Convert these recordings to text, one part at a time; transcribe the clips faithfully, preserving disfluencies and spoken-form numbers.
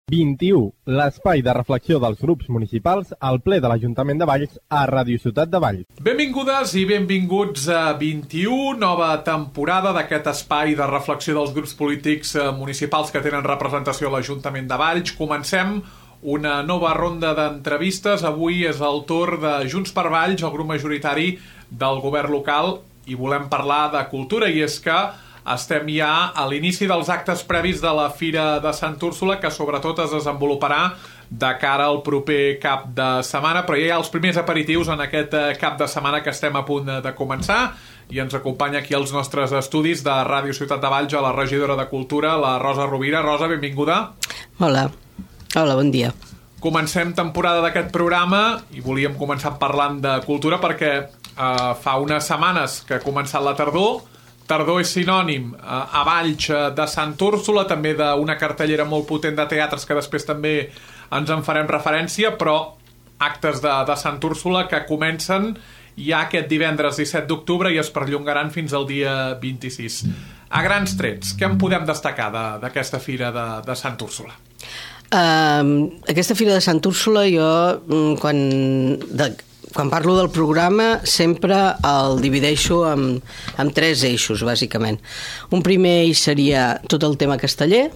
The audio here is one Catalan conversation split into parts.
vint-i-u, l'espai de reflexió dels grups municipals al ple de l'Ajuntament de Valls a Ràdio Ciutat de Valls. Benvingudes i benvinguts a vint-i-u, nova temporada d'aquest espai de reflexió dels grups polítics municipals que tenen representació a l'Ajuntament de Valls. Comencem una nova ronda d'entrevistes. Avui és el torn de Junts per Valls, el grup majoritari del govern local, i volem parlar de cultura, i és que estem ja a l'inici dels actes previs de la Fira de Sant Úrsula, que sobretot es desenvoluparà de cara al proper cap de setmana, però ja hi ha els primers aperitius en aquest cap de setmana que estem a punt de començar, i ens acompanya aquí als nostres estudis de Ràdio Ciutat de Valls a la regidora de Cultura, la Rosa Rovira. Rosa, benvinguda. Hola, hola, bon dia. Comencem temporada d'aquest programa i volíem començar parlant de cultura perquè eh, fa unes setmanes que ha començat la tardor. Tardor és sinònim eh, a Valls de Sant Úrsula, també d'una cartellera molt potent de teatres que després també ens en farem referència, però actes de, de Sant Úrsula que comencen ja aquest divendres disset d'octubre i es perllongaran fins al dia vint-i-sis. A grans trets, què en podem destacar d'aquesta Fira de, de Sant Úrsula? Uh, aquesta Fira de Sant Úrsula jo, quan... De... Quan parlo del programa sempre el divideixo en, en tres eixos, bàsicament. Un primer eix seria tot el tema casteller.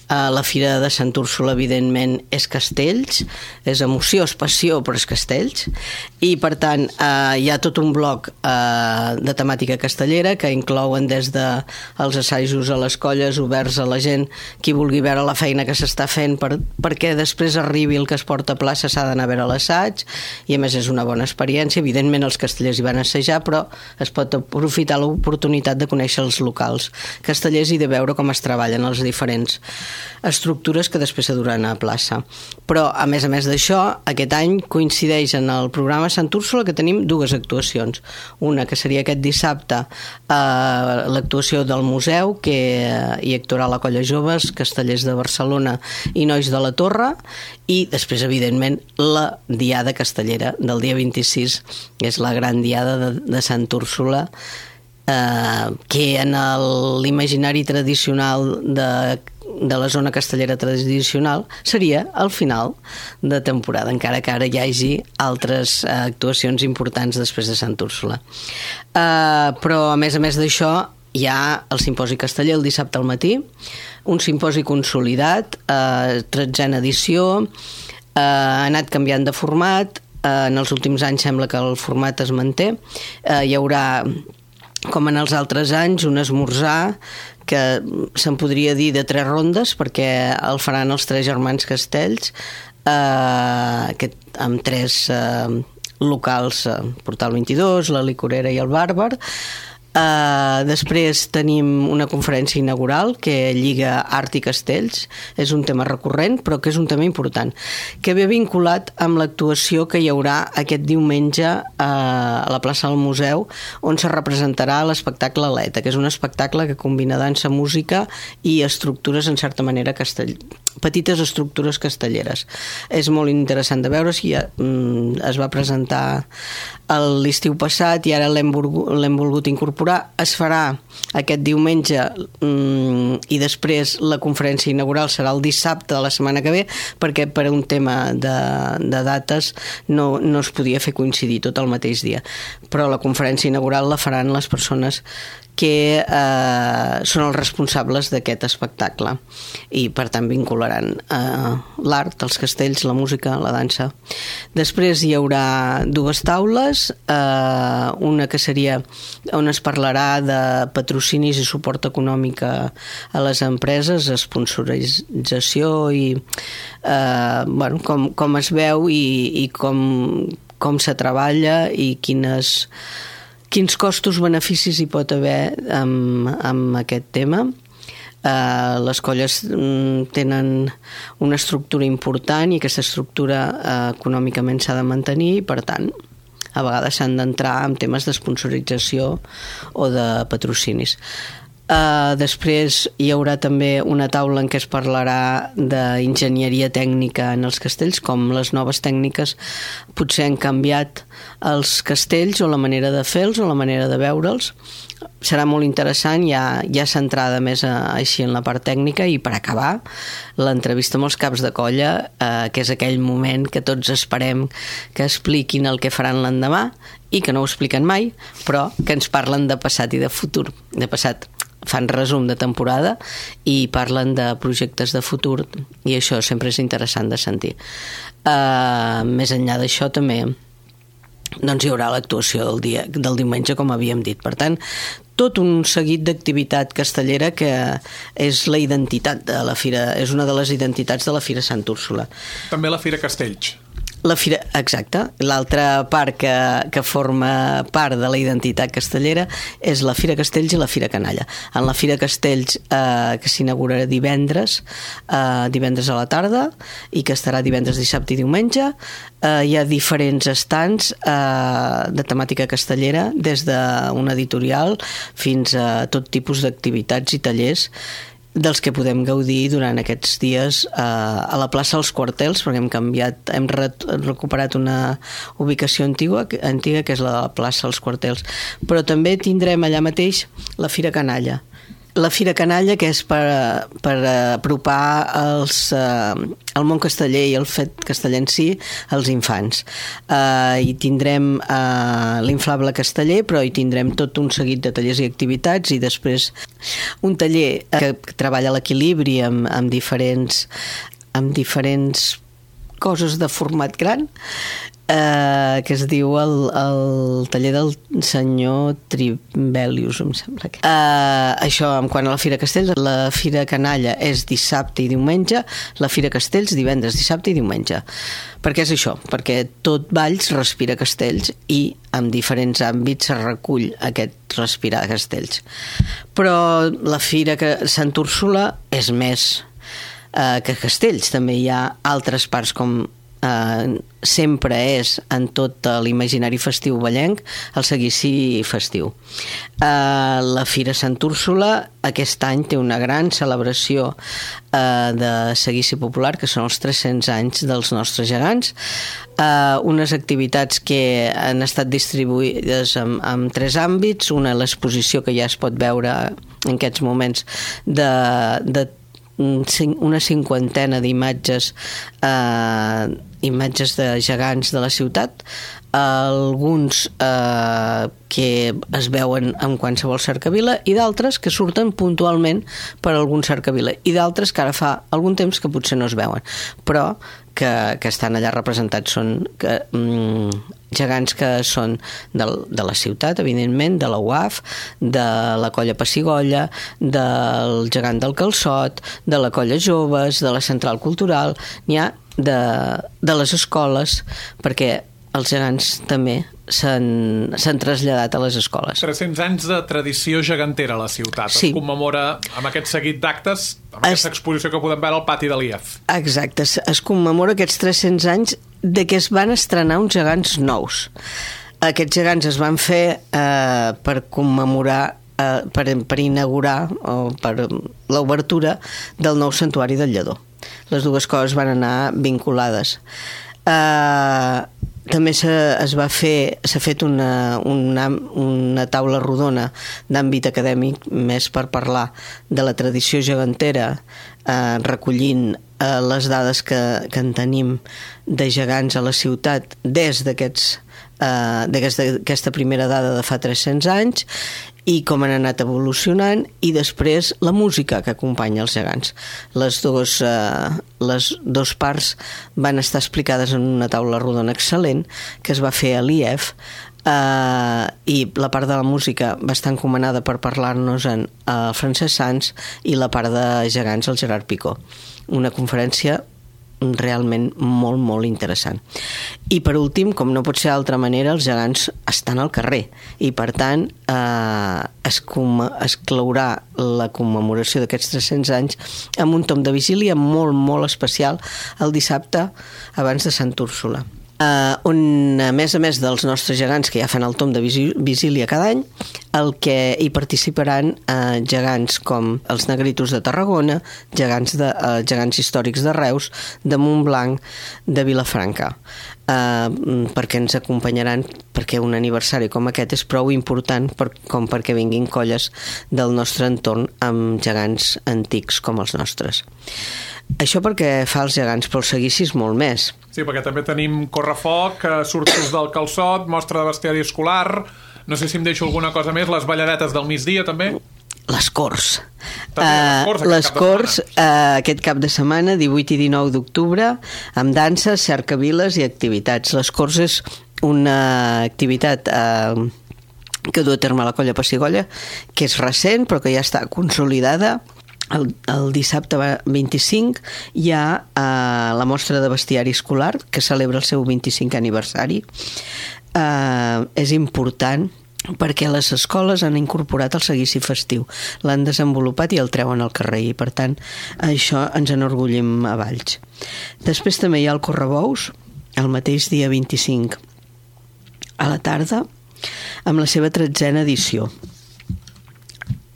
Uh, la Fira de Sant Úrsula, evidentment, és castells, és emoció, és passió, però és castells. I, per tant, uh, hi ha tot un bloc uh, de temàtica castellera que inclouen des dels assajos a les colles oberts a la gent, qui vulgui veure la feina que s'està fent per, perquè després arribi el que es porta a plaça, s'ha d'anar a veure l'assaig, i a més és una bona experiència. Evidentment els castellers hi van assajar, però es pot aprofitar l'oportunitat de conèixer els locals castellers i de veure com es treballen els diferents estructures que després s'aduran a plaça. Però, a més a més d'això, aquest any coincideix en el programa Sant Úrsula que tenim dues actuacions. Una que seria aquest dissabte, eh, l'actuació del museu, que hi actuarà la Colla Joves, Castellers de Barcelona i Nois de la Torre, i després, evidentment, la Diada Castellera del dia vint-i-sis, que és la gran Diada de, de Sant Úrsula, eh, que en l'imaginari tradicional de de la zona castellera tradicional seria el final de temporada, encara que ara hi hagi altres uh, actuacions importants després de Sant Úrsula. Uh, però a més a més d'això hi ha el simposi casteller el dissabte al matí, un simposi consolidat, uh, tretzena edició, uh, ha anat canviant de format, uh, en els últims anys sembla que el format es manté, uh, hi haurà, com en els altres anys, un esmorzar que se'n podria dir de tres rondes, perquè el faran els tres germans Castells, eh, que, amb tres eh, locals, eh, Portal vint-i-dos, la Licorera i el Bàrbar. Uh, després tenim una conferència inaugural que lliga art i castells, és un tema recurrent però que és un tema important, que ve vinculat amb l'actuació que hi haurà aquest diumenge uh, a la plaça del Museu, on se representarà l'espectacle Aleta, que és un espectacle que combina dansa, música i estructures en certa manera castell... petites estructures castelleres. És molt interessant de veure, si ja, mm, es va presentar l'estiu passat i ara l'hem volgut incorporar. Es farà aquest diumenge mm, i després la conferència inaugural serà el dissabte de la setmana que ve, perquè per un tema de, de dates no, no es podia fer coincidir tot el mateix dia. Però la conferència inaugural la faran les persones que eh, són els responsables d'aquest espectacle i per tant vincularan eh, l'art, els castells, la música, la dansa. Després hi haurà dues taules, eh, una que seria on es parlarà de patrocinis i suport econòmic a les empreses, sponsorització i eh, bueno, com, com es veu i, i com, com se treballa i quines quins costos-beneficis hi pot haver amb, amb aquest tema. Uh, les colles mm, tenen una estructura important i aquesta estructura uh, econòmicament s'ha de mantenir i, per tant, a vegades s'han d'entrar en temes d'esponsorització o de patrocinis. Uh, després hi haurà també una taula en què es parlarà d'enginyeria tècnica en els castells, com les noves tècniques potser han canviat els castells o la manera de fer-los o la manera de veure'ls. Serà molt interessant, ja, ja centrada més a, així en la part tècnica. I per acabar, l'entrevista amb els caps de colla, eh, que és aquell moment que tots esperem que expliquin el que faran l'endemà i que no ho expliquen mai, però que ens parlen de passat i de futur. De passat fan resum de temporada i parlen de projectes de futur, i això sempre és interessant de sentir. Uh, més enllà d'això també doncs hi haurà l'actuació del dia del diumenge, com havíem dit. Per tant, tot un seguit d'activitat castellera que és la identitat de la Fira, és una de les identitats de la Fira Sant Úrsula. També la Fira Castells. La Fira, exacte. L'altra part que, que forma part de la identitat castellera és la Fira Castells i la Fira Canalla. En la Fira Castells, eh, que s'inaugurarà divendres, eh, divendres a la tarda, i que estarà divendres, dissabte i diumenge, eh, hi ha diferents estants eh, de temàtica castellera, des d'un editorial fins a tot tipus d'activitats i tallers dels que podem gaudir durant aquests dies eh, a la plaça dels Quartels, perquè hem canviat, hem re recuperat una ubicació antiga, antiga, que és la de la plaça dels Quartels. Però també tindrem allà mateix la Fira Canalla. La Fira Canalla, que és per, per apropar els, eh, el món casteller i el fet casteller en si als infants. Eh, hi tindrem eh, l'inflable casteller, però hi tindrem tot un seguit de tallers i activitats, i després un taller que treballa l'equilibri amb, amb diferents amb diferents coses de format gran, eh, que es diu el, el taller del senyor Tribelius, em sembla que. Eh, això en quant a la Fira Castells. La Fira Canalla és dissabte i diumenge, la Fira Castells divendres, dissabte i diumenge. Per què és això? Perquè tot Valls respira castells, i en diferents àmbits se recull aquest respirar castells. Però la Fira Sant Úrsula és més eh, que castells. També hi ha altres parts, com Uh, sempre és en tot l'imaginari festiu vallenc, el seguici festiu. Uh, la Fira Sant Úrsula aquest any té una gran celebració uh, de seguici popular, que són els tres-cents anys dels nostres gegants, uh, unes activitats que han estat distribuïdes en, en tres àmbits. Una, l'exposició que ja es pot veure en aquests moments de, de una cinquantena d'imatges eh, imatges de gegants de la ciutat, alguns eh, que es veuen en qualsevol cercavila, i d'altres que surten puntualment per algun cercavila, i d'altres que ara fa algun temps que potser no es veuen, però que, que estan allà representats. Són que, mm, gegants que són de, de la ciutat, evidentment, de la U A F, de la Colla Pessigolles, del gegant del Calçot, de la Colla Joves, de la Central Cultural. N'hi ha de, de les escoles, perquè els gegants també s'han traslladat a les escoles. tres-cents anys de tradició gegantera a la ciutat. Sí. Es commemora amb aquest seguit d'actes, amb es... aquesta exposició que podem veure al pati de l'I E F. Exacte, es, es commemora aquests tres-cents anys de que es van estrenar uns gegants nous. Aquests gegants es van fer eh, per commemorar, eh, per, per inaugurar, o per l'obertura del nou santuari del Lledó. Les dues coses van anar vinculades. Eh... També es va fer, s'ha fet una, una, una taula rodona d'àmbit acadèmic, més per parlar de la tradició gegantera, eh, recollint eh, les dades que, que en tenim de gegants a la ciutat des d'aquests eh, d'aquesta primera dada de fa tres-cents anys, i com han anat evolucionant, i després la música que acompanya els gegants. Les dos, eh, les dos parts van estar explicades en una taula rodona excel·lent que es va fer a l'I E F, eh, i la part de la música va estar encomanada per parlar-nos en el Francesc Sans, i la part de gegants el Gerard Picó. Una conferència realment molt, molt interessant. I per últim, com no pot ser d'altra manera, els gegants estan al carrer, i per tant eh, es, es claurà la commemoració d'aquests tres-cents anys amb un tom de vigília molt, molt especial el dissabte abans de Sant Úrsula. Uh, on, a més a més dels nostres gegants que ja fan el tom de vigília cada any, el que hi participaran uh, gegants com els Negritos de Tarragona, gegants, de, uh, gegants històrics de Reus, de Montblanc, de Vilafranca, uh, perquè ens acompanyaran, perquè un aniversari com aquest és prou important per, com perquè vinguin colles del nostre entorn amb gegants antics com els nostres. Això perquè fa els gegants, però el seguici és molt més. Sí, perquè també tenim correfoc, sortius del calçot, mostra de bestiari escolar, no sé si em deixo alguna cosa més, les balladetes del migdia també. Les Corts. També les Corts, uh, les Corts uh, aquest cap de setmana, divuit i dinou d'octubre, amb danses, cercaviles i activitats. Les Corts és una activitat uh, que du a terme la Colla Pessigolles, que és recent però que ja està consolidada. El, el dissabte vint-i-cinc hi ha eh, la mostra de bestiari escolar que celebra el seu vint-i-cinquè aniversari. Eh, és important perquè les escoles han incorporat el seguici festiu, l'han desenvolupat i el treuen al carrer i per tant això ens enorgullim a Valls. Després també hi ha el Correbous el mateix dia vint-i-cinc a la tarda amb la seva tretzena edició.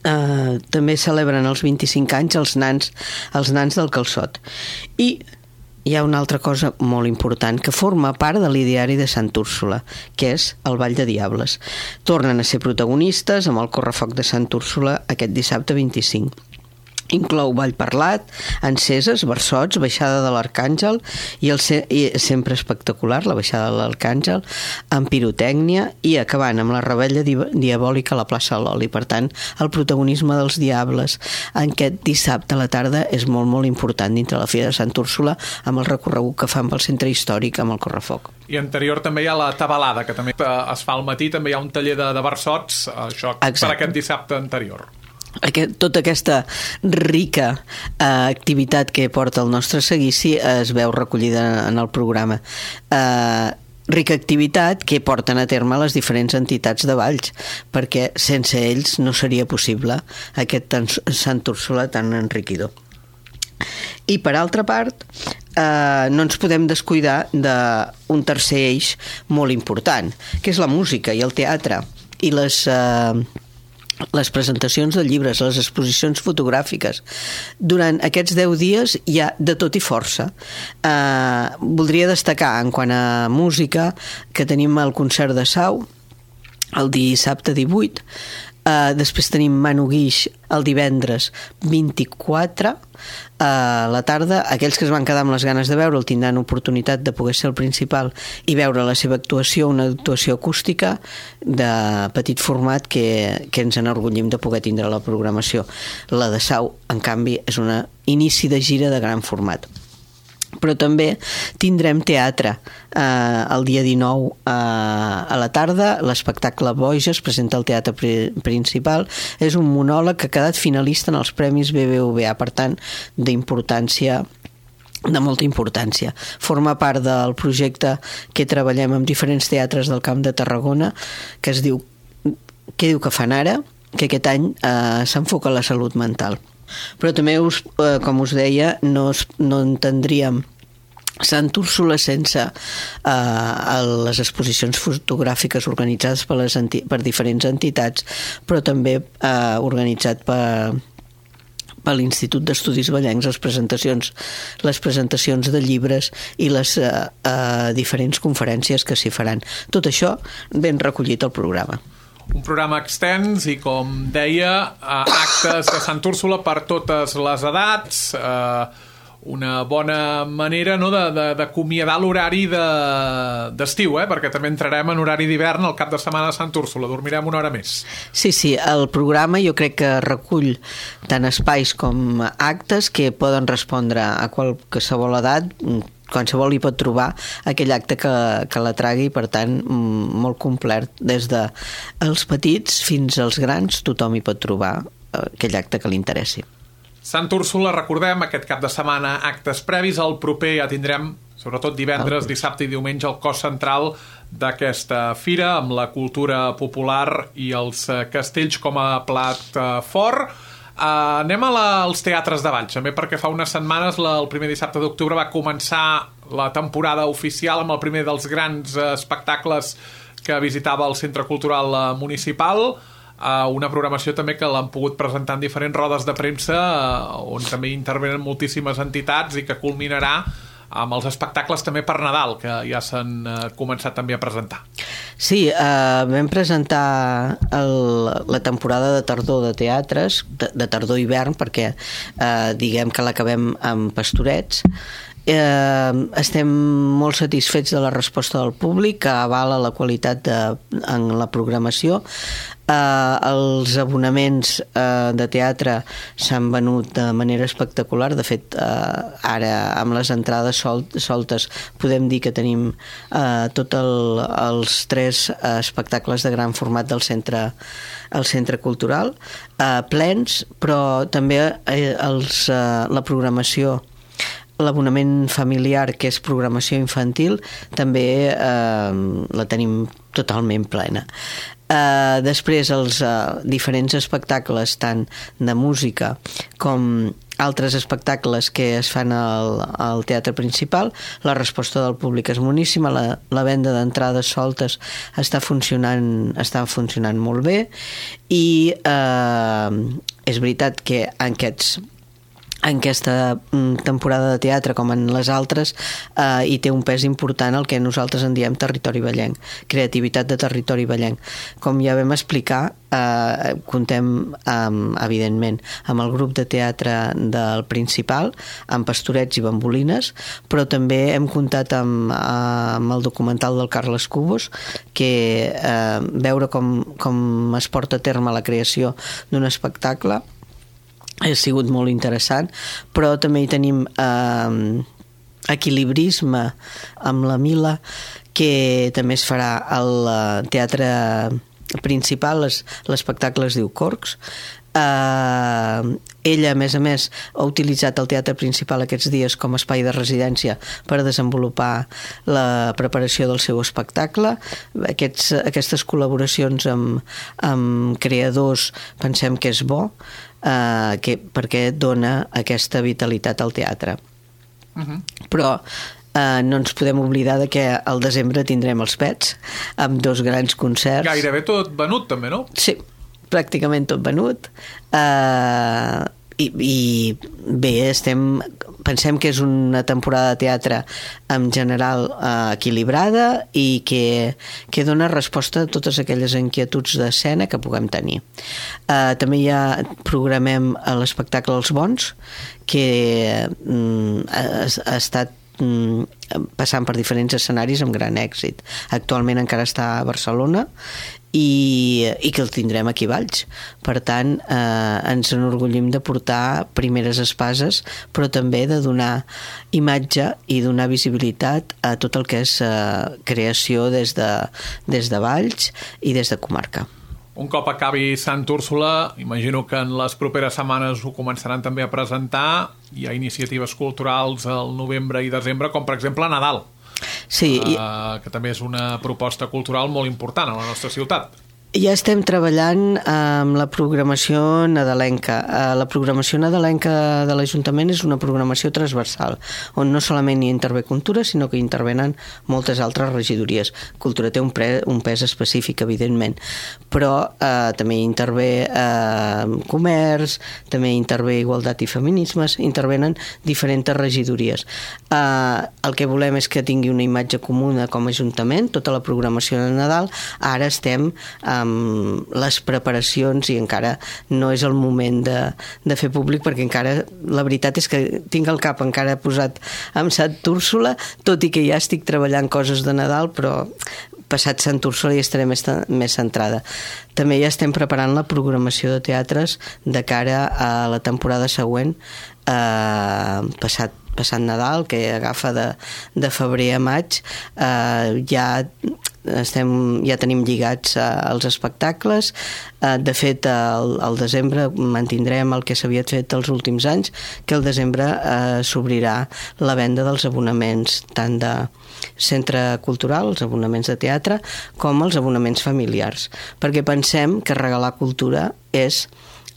Uh, també celebren els vint-i-cinc anys els nans, els nans del calçot. I hi ha una altra cosa molt important que forma part de l'ideari de Sant Úrsula, que és el Ball de Diables. Tornen a ser protagonistes amb el correfoc de Sant Úrsula aquest dissabte vint-i-cinc. Inclou ball parlat, enceses, versots, baixada de l'Arcàngel i, el se- i sempre espectacular, la baixada de l'Arcàngel, amb pirotècnia i acabant amb la rebella di- diabòlica a la plaça de l'Oli. Per tant, el protagonisme dels diables en aquest dissabte a la tarda és molt, molt important dintre la Fira de Sant Úrsula amb el recorregut que fan pel centre històric amb el correfoc. I anterior també hi ha la tabalada, que també es fa al matí, també hi ha un taller de, de versots, això Exacte. Per aquest dissabte anterior. Aquest, tota aquesta rica eh, activitat que porta el nostre seguici es veu recollida en el programa. Eh, rica activitat que porten a terme les diferents entitats de Valls, perquè sense ells no seria possible aquest Sant Úrsula tan enriquidor. I per altra part, eh, no ens podem descuidar d'un tercer eix molt important, que és la música i el teatre i les... Eh, les presentacions de llibres, les exposicions fotogràfiques. Durant aquests deu dies hi ha de tot i força. Eh, voldria destacar, en quant a música, que tenim el concert de Sau el dissabte divuit, eh, després tenim Manu Guix el divendres vint-i-quatre a la tarda. Aquells que es van quedar amb les ganes de veure'l tindran oportunitat de poder ser el principal i veure la seva actuació, una actuació acústica de petit format que, que ens enorgullim de poder tindre a la programació. La de Sau, en canvi, és un inici de gira de gran format. Però també tindrem teatre eh, el dia dinou eh, a la tarda. L'espectacle Boja es presenta al teatre pri- principal. És un monòleg que ha quedat finalista en els Premis B B V A, per tant, d'importància, de molta importància. Forma part del projecte que treballem amb diferents teatres del Camp de Tarragona, que es diu Què diu que fan ara?, que aquest any eh, s'enfoca a la salut mental. Però també, us, eh, com us deia, no, es, no entendríem Sant Úrsula sense eh, les exposicions fotogràfiques organitzades per, les enti- per diferents entitats, però també eh, organitzat per, per l'Institut d'Estudis Vallencs, les presentacions, les presentacions de llibres i les eh, eh, diferents conferències que s'hi faran. Tot això ben recollit al programa. Un programa extens i, com deia, eh, actes de Sant Úrsula per totes les edats, eh, una bona manera, no, de, de, d'acomiadar l'horari de, d'estiu, eh, perquè també entrarem en horari d'hivern al cap de setmana de Sant Úrsula, dormirem una hora més. Sí, sí, el programa jo crec que recull tant espais com actes que poden respondre a qualsevol edat. Qualsevol hi pot trobar aquell acte que, que la tragui, per tant, molt complet. Des de els petits fins als grans, tothom hi pot trobar aquell acte que li interessi. Sant Úrsula, recordem, aquest cap de setmana actes previs. El proper ja tindrem, sobretot divendres, dissabte i diumenge, el cos central d'aquesta fira, amb la cultura popular i els castells com a plat fort. Uh, anem a la, als teatres de Valls, també, perquè fa unes setmanes, la, el primer dissabte d'octubre, va començar la temporada oficial amb el primer dels grans espectacles que visitava el Centre Cultural Municipal, una programació també que l'han pogut presentar en diferents rodes de premsa on també intervenen moltíssimes entitats i que culminarà amb els espectacles també per Nadal, que ja s'han començat també a presentar. Sí, eh, vam presentar el, la temporada de tardor de teatres, de, de tardor-hivern, perquè eh, diguem que l'acabem amb Pastorets. Eh, estem molt satisfets de la resposta del públic, que avala la qualitat de, en la programació. Eh, els abonaments eh, de teatre s'han venut de manera espectacular. De fet, eh, ara amb les entrades sol, soltes podem dir que tenim eh, tots el, els tres espectacles de gran format del centre, el centre cultural eh, plens, però també eh, els, eh, la programació, l'abonament familiar, que és programació infantil, també eh, la tenim totalment plena. Eh, després els eh, diferents espectacles, tant de música com altres espectacles que es fan al, al teatre principal, la resposta del públic és boníssima, la, la venda d'entrades soltes està funcionant, està funcionant molt bé, i eh, és veritat que en aquests en aquesta temporada de teatre, com en les altres, eh, hi té un pes important el que nosaltres en diem territori vallenc, creativitat de territori vallenc. Com ja vam explicar, eh, contem, eh, evidentment, amb el grup de teatre del Principal, amb Pastorets i Bambolines, però també hem comptat amb, amb el documental del Carles Cubos, que eh, veure com, com es porta a terme la creació d'un espectacle ha sigut molt interessant, però també hi tenim eh, equilibrisme amb la Mila, que també es farà al teatre principal, l'espectacle es diu Corcs. Eh, ella, a més a més, ha utilitzat el teatre principal aquests dies com a espai de residència per desenvolupar la preparació del seu espectacle. Aquests, aquestes col·laboracions amb, amb creadors pensem que és bo, eh, que, perquè dona aquesta vitalitat al teatre. Uh-huh. Però Uh, no ens podem oblidar de que al desembre tindrem els Pets amb dos grans concerts. Gairebé tot venut també, no? Sí, pràcticament tot venut. Uh, i, i bé, estem, pensem que és una temporada de teatre en general uh, equilibrada i que, que dona resposta a totes aquelles inquietuds d'escena que puguem tenir. Uh, també ja programem l'espectacle Els Bons, que um, ha, ha estat passant per diferents escenaris amb gran èxit. Actualment encara està a Barcelona i, i que el tindrem aquí a Valls. Per tant, eh, ens enorgullim de portar primeres espases, però també de donar imatge i donar visibilitat a tot el que és eh, creació des de, des de Valls i des de comarca. Un cop acabi Sant Úrsula, imagino que en les properes setmanes ho començaran també a presentar. Hi ha iniciatives culturals al novembre i desembre, com per exemple Nadal, sí, i... uh, que també és una proposta cultural molt important a la nostra ciutat. Ja estem treballant amb la programació nadalenca. La programació nadalenca de l'Ajuntament és una programació transversal, on no solament hi intervé Cultura, sinó que hi intervenen moltes altres regidories. Cultura té un, pre, un pes específic, evidentment, però eh, també hi intervé eh, Comerç, també hi intervé Igualtat i Feminismes, intervenen diferents regidories. Eh, el que volem és que tingui una imatge comuna com a Ajuntament, tota la programació de Nadal. Ara estem eh, amb les preparacions i encara no és el moment de, de fer públic, perquè encara la veritat és que tinc el cap encara posat amb Sant Úrsula, tot i que ja estic treballant coses de Nadal, però passat Sant Úrsula ja estaré més, més centrada. També ja estem preparant la programació de teatres de cara a la temporada següent, eh, passat passat Nadal, que agafa de, de febrer a maig. eh, ja estem, ja tenim lligats eh, els espectacles. Eh, de fet, al, al desembre mantindrem el que s'havia fet els últims anys, que al desembre eh, s'obrirà la venda dels abonaments tant de centre cultural, els abonaments de teatre, com els abonaments familiars, perquè pensem que regalar cultura és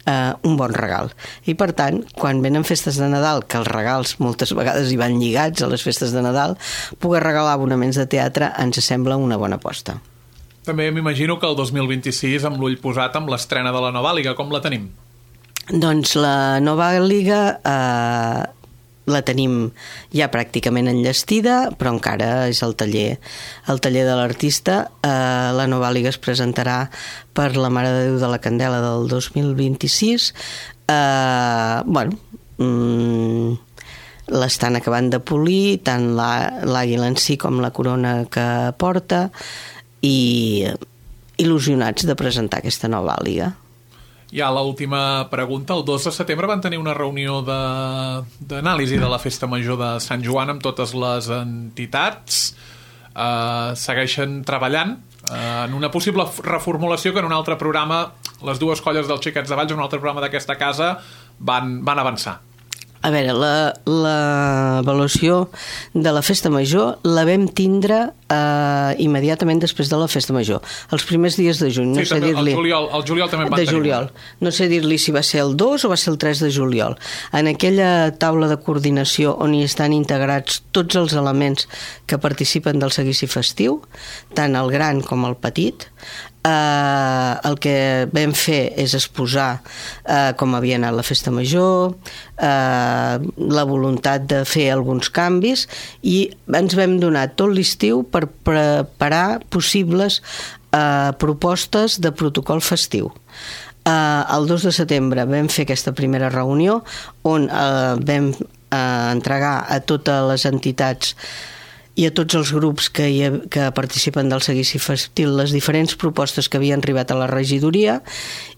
eh, un bon regal. I per tant, quan venen festes de Nadal, que els regals moltes vegades hi van lligats a les festes de Nadal, poder regalar abonaments de teatre ens sembla una bona aposta. També m'imagino que el dos mil vint-i-sis, amb l'ull posat amb l'estrena de la nova Liga, com la tenim? Doncs la nova Liga eh, la tenim ja pràcticament enllestida, però encara és el taller, el taller de l'artista. Eh, la nova Liga es presentarà per la Mare de Déu de la Candela del dos mil vint-i-sis. Eh, bueno, mm, l'estan acabant de polir, tant l'àguila en si com la corona que porta, i il·lusionats de presentar aquesta nova Liga. Ja l'última pregunta. El dos de setembre van tenir una reunió d'anàlisi de, de la Festa Major de Sant Joan amb totes les entitats. Uh, segueixen treballant uh, en una possible reformulació que en un altre programa, les dues colles dels Xiquets de Valls, en un altre programa d'aquesta casa, van, van avançar. A veure, l'avaluació de la Festa Major la vam tindre eh, immediatament després de la Festa Major, els primers dies de juny. No sí, sé també, dir-li... el, juliol, el juliol també en van de tenir. Juliol. No sé dir-li si va ser el dos o va ser el tres de juliol. En aquella taula de coordinació on hi estan integrats tots els elements que participen del seguici festiu, tant el gran com el petit, Uh, el que vam fer és exposar uh, com havia anat la Festa Major, uh, la voluntat de fer alguns canvis, i ens vam donar tot l'estiu per preparar possibles uh, propostes de protocol festiu. Uh, el dos de setembre vam fer aquesta primera reunió on uh, vam uh, entregar a totes les entitats i a tots els grups que, hi ha, que participen del seguici festiu les diferents propostes que havien arribat a la regidoria,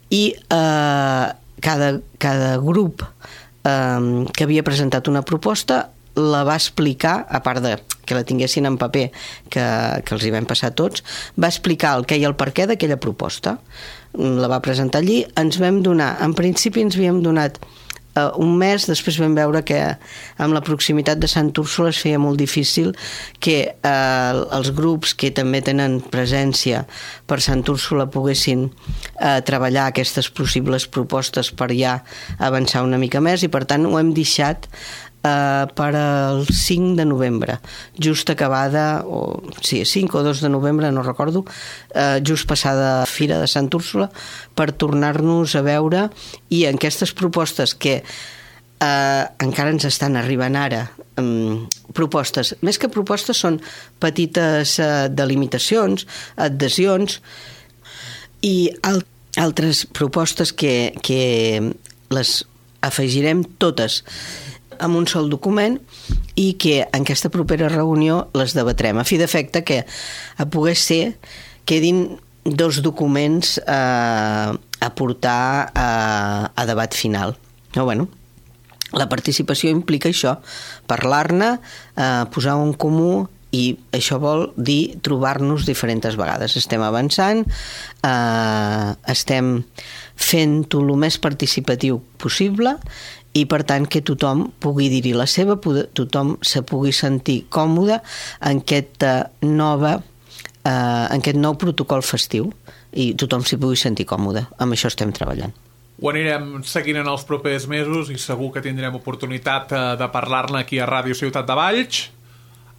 i eh, cada, cada grup eh, que havia presentat una proposta la va explicar, a part de que la tinguessin en paper, que, que els hi vam passar tots, va explicar el què i el per què d'aquella proposta. La va presentar allí, ens vam donar, en principi ens havíem donat Uh, un mes, després vam veure que amb la proximitat de Sant Úrsula es feia molt difícil que uh, els grups que també tenen presència per Sant Úrsula poguessin uh, treballar aquestes possibles propostes per ja avançar una mica més, i per tant ho hem deixat Uh, per al cinc de novembre, just acabada, o sí, cinc o dos de novembre, no recordo, uh, just passada Fira de Sant Úrsula, per tornar-nos a veure, i en aquestes propostes que uh, encara ens estan arribant ara, um, propostes, més que propostes són petites uh, delimitacions, adhesions i al altres propostes que, que les afegirem totes amb un sol document, i que en aquesta propera reunió les debatrem, a fi d'efecte que a poder ser quedin dos documents eh, a portar a, a debat final. No, bueno, la participació implica això, parlar-ne, eh, posar un comú, i això vol dir trobar-nos diferents vegades. Estem avançant, eh, estem fent-ho el més participatiu possible, i per tant que tothom pugui dir-hi la seva, tothom se pugui sentir còmode en aquesta nova, eh, en aquest nou protocol festiu, i tothom s'hi pugui sentir còmode. Amb això estem treballant. Ho anirem seguint en els propers mesos i segur que tindrem oportunitat de parlar-ne aquí a Ràdio Ciutat de Valls.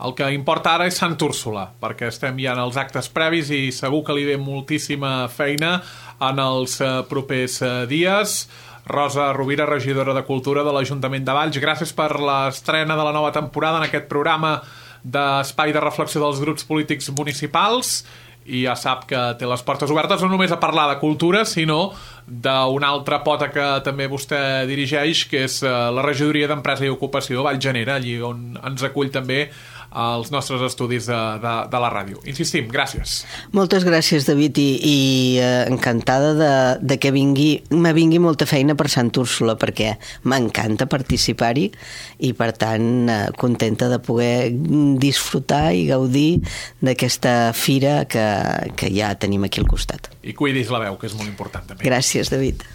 El que importa ara és Sant Úrsula, perquè estem ja en els actes previs i segur que li ve moltíssima feina en els propers dies. Rosa Rovira, regidora de Cultura de l'Ajuntament de Valls, gràcies per l'estrena de la nova temporada en aquest programa d'espai de reflexió dels grups polítics municipals, i ja sap que té les portes obertes no només a parlar de cultura, sinó d'una altra pota que també vostè dirigeix, que és la regidoria d'Empresa i Ocupació Vallgenera, allí on ens acull també als nostres estudis de, de, de la ràdio. Insistim, gràcies. Moltes gràcies, David, i, i eh, encantada de, de que vingui, me vingui molta feina per Sant Úrsula, perquè m'encanta participar-hi, i per tant eh, contenta de poder disfrutar i gaudir d'aquesta fira que, que ja tenim aquí al costat. I cuidis la veu, que és molt important també. Gràcies, David.